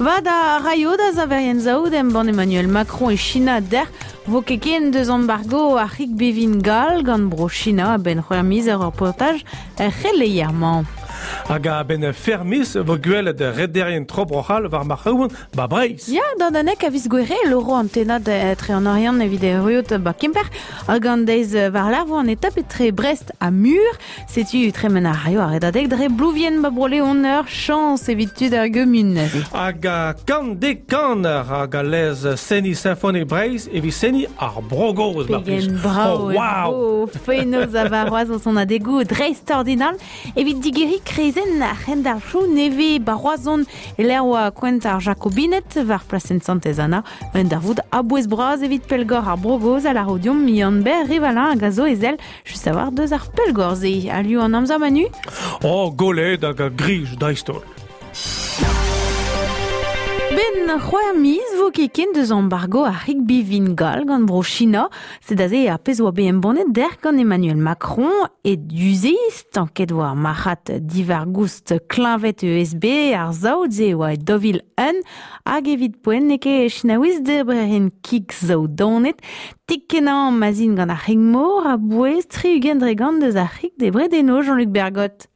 Vad a raio da saverien saout embann Emmanuel Macron e China dec'h vo ket ken deus embargo ar c'hig bevin gall gant bro China a-benn c'hwec'h miz ur reportaj er c'heleier-mañ. Hag a-benn fermis vo gwelet rederien tro Bro-C'hall war marc'haouan ba Breizh. Ya, d'an anek a viz Gouere, loro an tennad etre an Oriant evit erruout ba Kemper hag an deiz war-lerc'h vo an etap etre Brest ha Mur. Setu tremen a raio ar redadeg dre Blouvien ba Bro-Leon ur chañs evit tud ar gumun neuze. Hag a kant dek kan hag a lez seniñ Sinfonik Breizh evit seniñ ar Bro-Gozh. Pegen brav oh, wow! Fenoz a varroaz o sonadegoù dreistordinal evit digeriñ kreizenn ar c'henderc'hoù nevez ba Roazhon e-lec'h oa kouent ar Jakobined war plasenn Santez-Anna. Un darvoud a-bouez bras evit pellgor ar Bro-Gozh a lâro deomp Yann-Ber Rivalin hag a zo ezel Just a-walc'h deus ar pellgor-se. Aliou an amzer, Manu Oh, golet hag a grij dreist-holl. Ben c'hwec'h miz vo ket ken deus embargo ar rugby vin gall gant bro China. Sed aze ar pezh oa bet embannet dec'h gant Emmanuel Macron e du-se stanket war marc'had diwar-goust kleñved ESB ar saout-se oa e 2001 hag evit poent n'eo ket Chinaouiz debrerien kig saout daonet Tik-kenañ ma'z int gant ar c'hig-mor a-bouez 60% deus ar c'hig debret eno, Jean-Luc Bergot.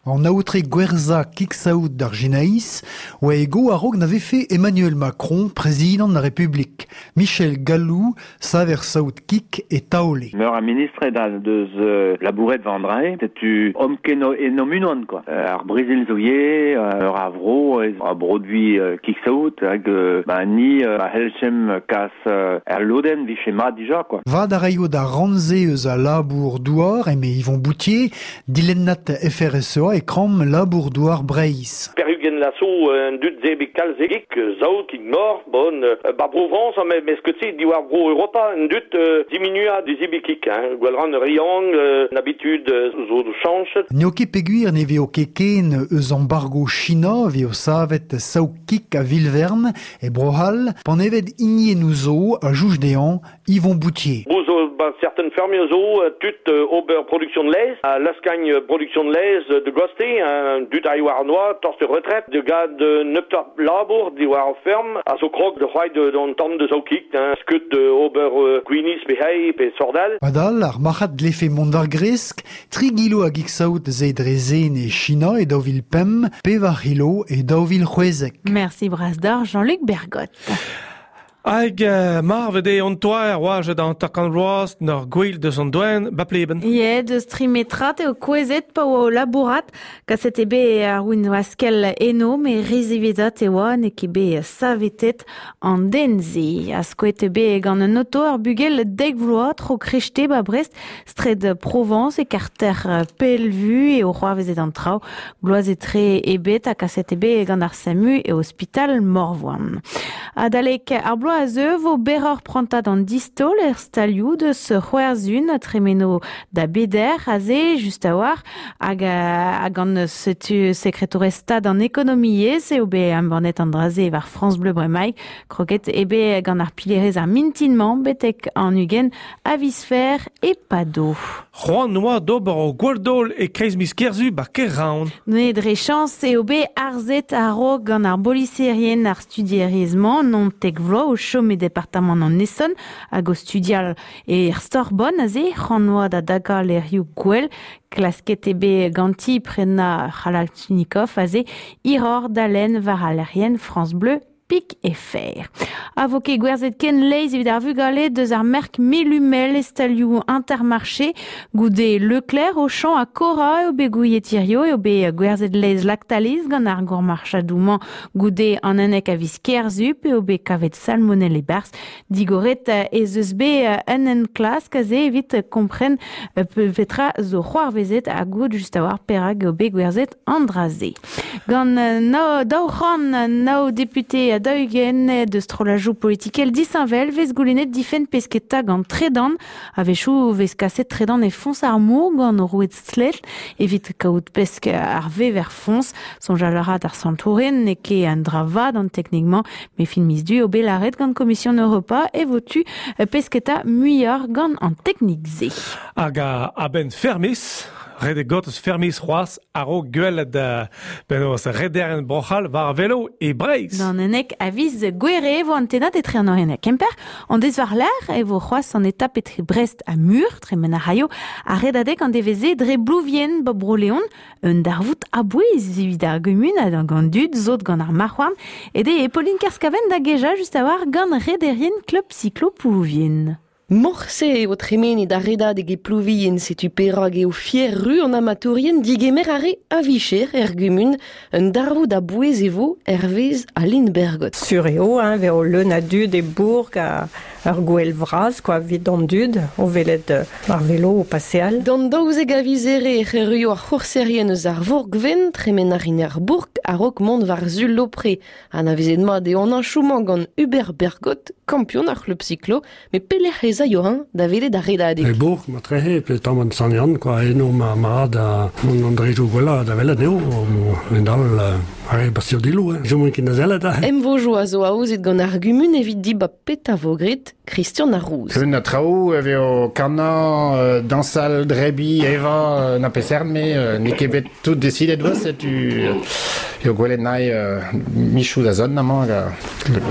An aotre gwerzhañ kig-saout d'ar Ginaïs oa e go a-raok na vefe Emmanuel Macron prezidant ar Republik. Michel Gallou, saver saout kig e Taole. Meur a ministred a deus labouret war an dra-se. Setu omp ken en unan quoi. Ar Brezel zo ivez, ur a vro a broduit kig-saout hag ba ni a c'hellchemp kas Er lodenn 'vije mat dija quoi. Vad a raio d'ar rann-se eus al labour-douar, eme Yvon Boutier, dilennad FRSEA e kramm labour-douar Breizh. Perugen laso an dud se kalz egik, saout, mor, bon, ba Provence, mes ket se diwar bro Europa, an dud diminua dizibikik, hein, gwell ran riang, an habitude zo chañchet. N'eo ket peogwir ne vezo ket ken eus embargo China 'vezo savet saout-kig a-vil-vern E Bro-C'hall, panevet hiniennoù zo a jouj dezhañ Yvon Boutier. Bo zo ba certaines fermes zo tud ober production de laezh, a laskagn production de laezh de goste, dud a war noa, torst retraite, de gad nebeutoc'h labour diwar ar ferm, a zo krog de c'hoari d'an tamm de zaoukik, skeud ober gwinizh pe hei pe sort all. Padal, ar marc'had dlefe mont war gresk, Tri gilo a gig-saout ze dre zen e China e 2005, pevar c'hilo e 2016. Merci bras d'ar Jean-Luc Bergot. Hag marvet eo an toer oajet an takan vloaz n'ur gwel deus an doen ba pleben. Ie, deus trimetrat eo kouezhet pa oa o labourat. Kaset eo bet ar win-waskel eno, met re ziwezhat e oa, n'eo ket bet savetet an den-se. Ha skoet eo bet gant un oto ar bugel dek vloaz tro krechte ba Brest Straed Provence e karter Pellevue eo c'hoarvezet an traoù. Bloaz etre ebet ha kaset eo bet gant ar SAMU e ospital Morvoan. Adalek ar bloaz a zeu vo berroc'h prantad an distaol er stalioù deus C'hwerzhun a tremeno da beder aze just a-walc'h hag hag gant setu sekretourez stad an ekonomiezh eo bet embannet an dra-se war France Bleu bremaik. Kroget eo bet gant ar pilerez ar mintin-mañ betek an 20 a viz fer e pado. C'hoant oa d'ober o gwall-daol e-kreiz miz Kerzu ba Kerraon. Ne dre chañs eo bet arzet a-raok gant ar boliserien ar studierez-mañ naontek vloaz o chom e departamant an Essonne hag o studial er Sorbonne aze c'hoant oa da dagañ lec'hioù gwell. Klasket eo bet ganti prenañ Kalachnikov aze hiroc'h da lenn war al lec'hienn France Bleu pik e fer. A vo ket gwerzhet ken leizh evit ar vugale deus ar merk Melumel e stalioù Intermarché. Goude Leclerc, Auchan ha Cora eo bet gouiet hirio eo bet gwerzhet laezh Lactalis gant ar gourmarchadoù-mañ goude an unnek a viz Kerzu p'eo bet kavet salmonelle e-barzh. Digoret ez eus bet un enklask aze evit kompren petra zo c'hoarvezet ha goût just a-walc'h perak eo bet gwerzhet an dra-se. Gant 209 depute ha 40 deus strollajoù politikel disheñvel 'vez goulennet difenn pesketa gant tredan. A-wechoù 'vez kaset tredan e foñs ar mor gant roued stlej evit kaout pesk ar vever foñs. Soñjal a ra d'ar santourien n'eo ket un dra vat an teknik-mañ, met fin miz Du eo bet lâret gant Komision Europa e vo tu pesketa muioc'h gant an teknik-se. Hag a-benn fermis. Ret eo got eus fermiz c'hoazh a-raok gwelet penaos rederen Bro-C'hall war velo e Breizh. D'an ennek a viz Gouere e vo an tennad etre an Oriant ha Kemper. An deiz war-lerc'h e vo c'hoazh an etap etre Brest ha Mur, tremen a raio ar redadeg an devezh-se dre Blouvien, ba Bro-Leon. Un darvoud a-bouez evit ar gumun hag an dud zot gant ar marc'h-houarn. Ede e Pauline Kerskaven da gejañ just a-walc'h gant rederien klub cyclo Plouvien. Morse eo tremenet ar redadeg e Plouvien, setu perak eo fier-ru an amatourien digemer ar re a-vicher er gumun. Un darvoud a-bouez e vo hervez Aline Bergot. Sur eo, hein, eo leun a dud e bourg ha ur gouel vras quoi, evit an dud o welet ar velo o paseal. D'an 12 a viz Here ec'h erruio ar c'hourserien eus ar Vourgven, tremen a rin ar bourk a-raok mont war-zu Lopre. Anavezet mat eo an heñchoù-mañ gant Hubert Bergot, kampion ar c'hlub cyclo, met pelec'h ez aio-eñ da welet ar redadeg? E bourg, matrehe, pe tamm an Sant-Yann, quoi, eno ma mat an andrejoù gwellañ da welet eo, en-dal ar re Bastiodillo, hein, chom ket da sellet. Emvojoù a zo aozet gant ar gumun evit dibab petra vo graet Christian ar Rouz. Eun a traoù e vezo kanañ, dañsal, drebiñ, evañ, na peseurt me, n'eo ket bet tout desidet vo, setu eo gwelet nae michoù da zont amañ hag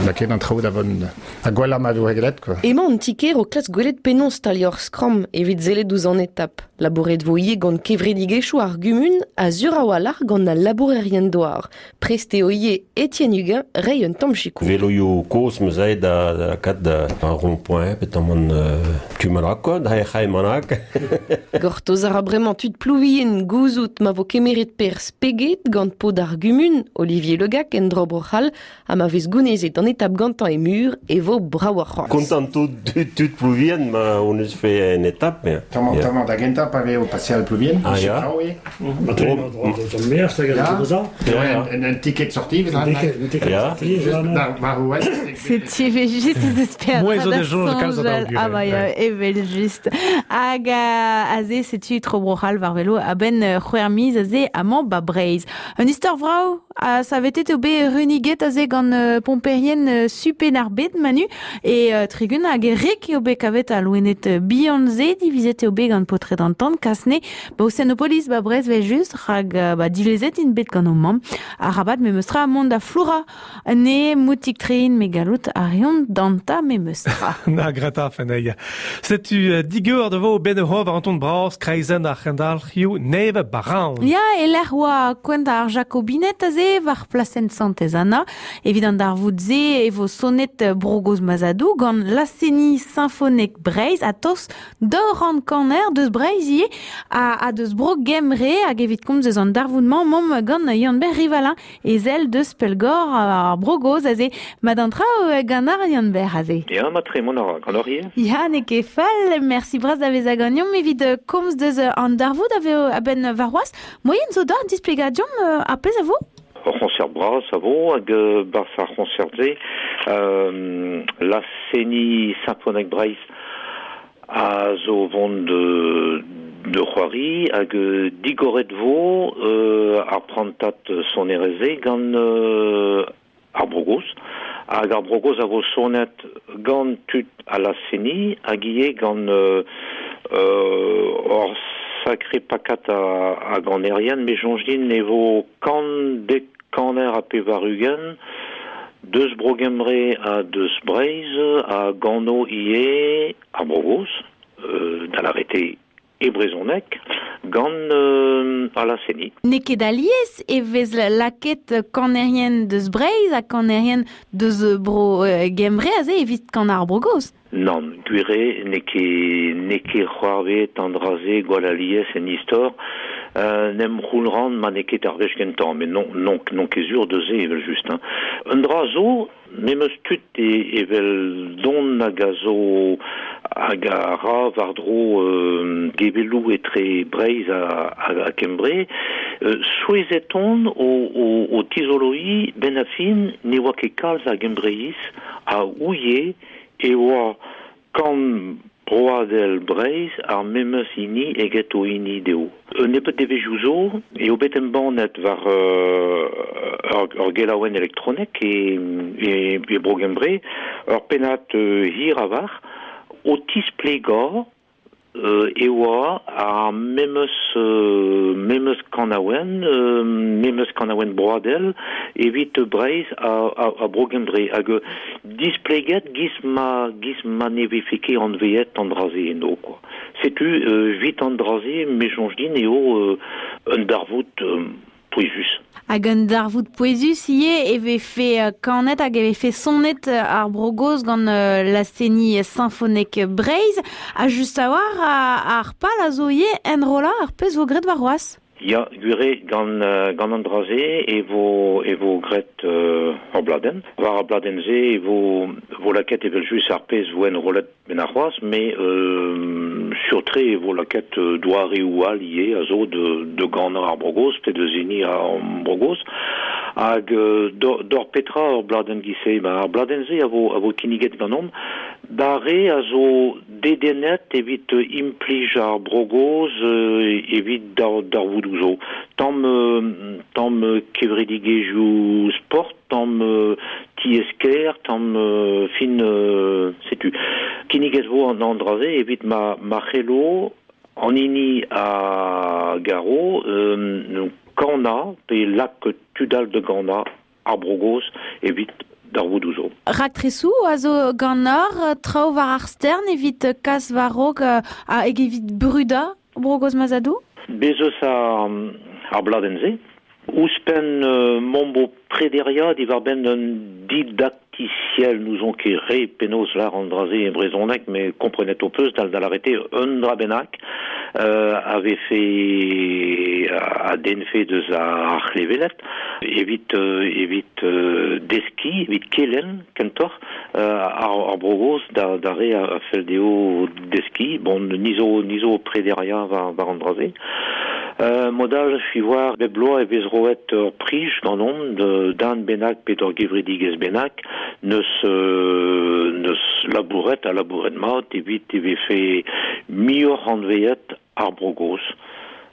lakaet an traoù da vont ha gwellañ ma vo graet quoi. Emañ an ti-kêr o klask gwelet penaos staliañ ur skramm evit sellet ouzh an etap. Labouret vo ivez gant kevredigezhioù ar gumun ha sur a-walc'h gant al labourerien-douar. Prest eo ivez Etienne Huguin reiñ un tamm sikour. Veloioù kozh 'm eus aet da lakaat un rond-point petamant tu manak quoi, da c'hae manak. Gortoz a ra bremañ tud Plouvien gouzout ma vo kemeret perzh peget gant paotr ar gumun Olivier Le Gac en dro Bro-C'hall ha ma vez gounezet an etap gantañ e mur e vo bravoc'h c'hoazh. Kontant tout tud Plouvien ma hon eus fait un étape. Tamm tamm da gentañ pa vez o paseal Plouvien, ah, ya. Un ticket sortie, Setu just ez Mouezh o deus soñj kalz a Ah bah ya, evel just. Hag aze setu tro Bro-C'hall war velo a-benn c'hwec'h miz aze amañ ba Breizh. Un istor vrav ha savetet eo bet runiget aze gant pomperien Supen-ar-Bed Manu e Tregun hag e Rek eo bet kavet al loened bihan-se divizet eo bet gant paotred an tan Kasne ba Océanopolis ba Brest vel just rak ba dilezet int bet gant o mamm arabat memestra mont da flourañ ne moutik trein me gallout a reont danta memestra. Na grata feneiñ. Setu digor da vo ben war an ton bras kreizenn ar c'hendalc'hioù nevez Baran. Ya, e-lec'h oa kouent ar Jakobined aze war plasenn Santez-Anna. Evit an darvoud-se e vo sonet Bro-Gozh Mazadou gant Laz-seniñ Sinfonek Breizh ha tost daou kaner deus Breizh ivez ha deus Bro Gembre hag evit komz eus an darvoud-mañ 'momp gant Yann-Ber Rivalin ezel deus Pellgor ar Bro-Gozh aze. Mat an traoù gant ar Yann-Ber aze. Ya, mat-tre mont a ra gant hor ivez. Ya, n'eo ket fall. Merci bras da vezañ ganeomp evit komz deus an darvoud a vezo a-benn warc'hoazh. Moien zo deoc'h displegañ deomp ar pezh a vo? Ur c'hoñsert bras a vo hag 'barzh ar c'hoñsert-se laz-seniñ Sinfonek Breizh a zo vont de c'hoari hag digoret vo ar prantad sonerezh-se gant ar Bro-Gozh. Hag ar Bro-Gozh a vo sonet gant tud a laz-seniñ hag ivez gant ur sakre pakad a ganerien. Me soñj din e vo kant dek kaner ha 80 deus Bro-Gembre ha deus Breizh a gano ivez ar Bro-Gozh, da lâret eo e brezhoneg, gant al laz-seniñ. N'eo ket alies e vez lakaet kanerien deus Breizh ha kanerien deus Bro-Gembre aze evit kanañ ar Bro-Gozh. Nann, gwir eo n'eo ket n'eo ket c'hoarvezet an dra-se gwall alies en istor. N'em c'houl ran ma n'eo ket ar wech gentañ, met non non n'on ket sur deus se evel-just. Hein. Un dra zo, me 'm eus tud evel don hag a zo hag a ra war-dro gevelloù etre Breizh ha Kembre. Souezhet on o tizoloiñ 'benn ar fin ne oa ket kalz a Gembreiz a ouie e oa kan broadel Breizh ar memes hini eget o hini dezho. Un nebeud devezhioù zo eo bet embannet war ur gelaouenn elektronek e, e, e Bro-Gembre ur pennad hir a-walc'h o tisplegañ e oa ar memes memes kanaouenn memes kanaouenn broadel evit Breizh ha ha Bro-Gembre hag displeget giz ma giz ma ne vefe ket anveet an dra-se eno quoi. Setu evit an dra-se me soñj din eo un darvoud pouezus. Hag un darvoud pouezus ivez e vefe kanet hag e vefe sonet ar Bro-Gozh gant laz-seniñ Sinfonek Breizh. Ha just a-walc'h ar pal a zo ivez enrollañ ar pezh vo graet warc'hoazh. Ya, gwir eo, gant, gant an dra-se e vo, e vo graet ur bladenn. War ar bladenn-se e vo, vo lakaet evel-just ar pezh vo enrollet benn arc'hoazh, met sur-tre e vo lakaet doareoù all ivez a zo da ganañ ar Bro-Gozh pe deus hini ar Bro-Gozh. Hag d'or petra ur bladenn giz-se? Ben, ar bladenn-se a vo, a vo kinniget ganeomp d'ar re a zo dedennet evit implij ar Bro-Gozh evit darvoudoù zo. Tamm, tamm kevredigezhioù sport, tamm tiez-kêr, tamm fin, setu. Kinniget vo an dra-se evit ma, ma c'hello an hini a garo kanañ pe lak tud all da ganañ ar Bro-Gozh evit darvoudoù zo. Raktresoù a zo ganeoc'h, traoù war ar stern evit kas war-raok hag evit brudañ Bro-Gozh ma zadoù? Bez eus ar bladenn-se. Ouzhpenn m'omp bo prederiañ diwar-benn un didaktisiel, n'ouzon ket re penaos lâr an dra-se e brezhoneg, met komprenet ho peus da lâret eo un dra bennak a vefe a denfe deus ar c'hleveled evit evit deskiñ, evit kelenn kentoc'h ar Bro-Gozh d'ar re a fell dezho deskiñ. Bon, ni zo ni zo o prederiañ war an dra-se. Mod all, war bep bloaz e vez roet ur prij ganeomp d'un bennak pe d'ur gevredigezh bennak neus neus labouret ha labouret mat evit e vefe muioc'h anveet ar Bro-Gozh.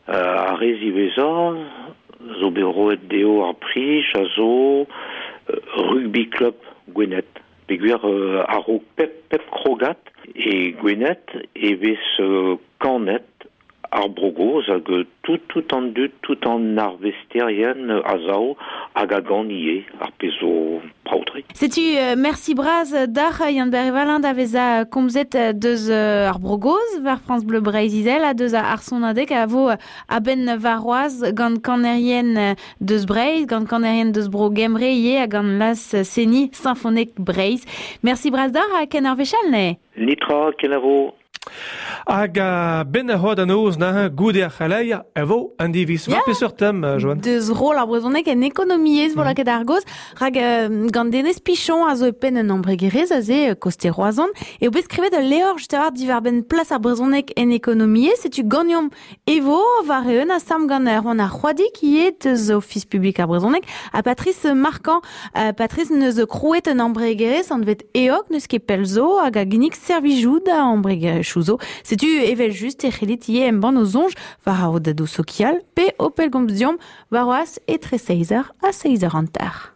Ar re ziwezhañ zo bet roet dezho ar prij a zo Rugby Club Gwened. Peogwir a-raok pep pep krogad e Gwened e vez kanet ar Bro-Gozh hag tout tout an dud, tout an arvesterien a sav hag a gan ivez, ar pezh zo brav-tre. Setu mersi bras deoc'h Yann-Ber Valin da vezañ komzet deus ar Bro-Gozh war France Bleu Breizh-Izel ha deus ar sonadeg a vo a-benn warc'hoazh gant kanerien deus Breizh, gant kanerien deus Bro Gembre ivez ha gant laz-seniñ Sinfonek Breizh. Mersi bras deoc'h ha ken ar wech all neuze. Netra, kenavo. Hag a-benn ar c'hoad an noz neuze, goude ar c'heleier, e vo an diviz. War peseurt tem, Joanne? Deus roll ar brezhoneg en ekonomiezh vo lakaet ar gaoz, rak gant Denez Pichon a zo e penn un embregerezh aze koste Roazhon, eo bet skrivet ul levr just a-walc'h diwar-benn plas ar brezhoneg en ekonomiezh. Setu ganeomp e vo war-eeun asambl gant Erwan ar C'hoadig ivez deus Ofis publik ar brezhoneg ha Patrice Marquand. Patrice neus krouet un embregerezh anvet EOG n'eus ket pell zo hag a ginnig servijoù da embregerezhioù zo. Setu evel-just e c'hellit ivez embann ho soñj war ar rouedadoù sokial pe ho pellgomz deomp warc'hoazh etre 6h ha 6h hanter.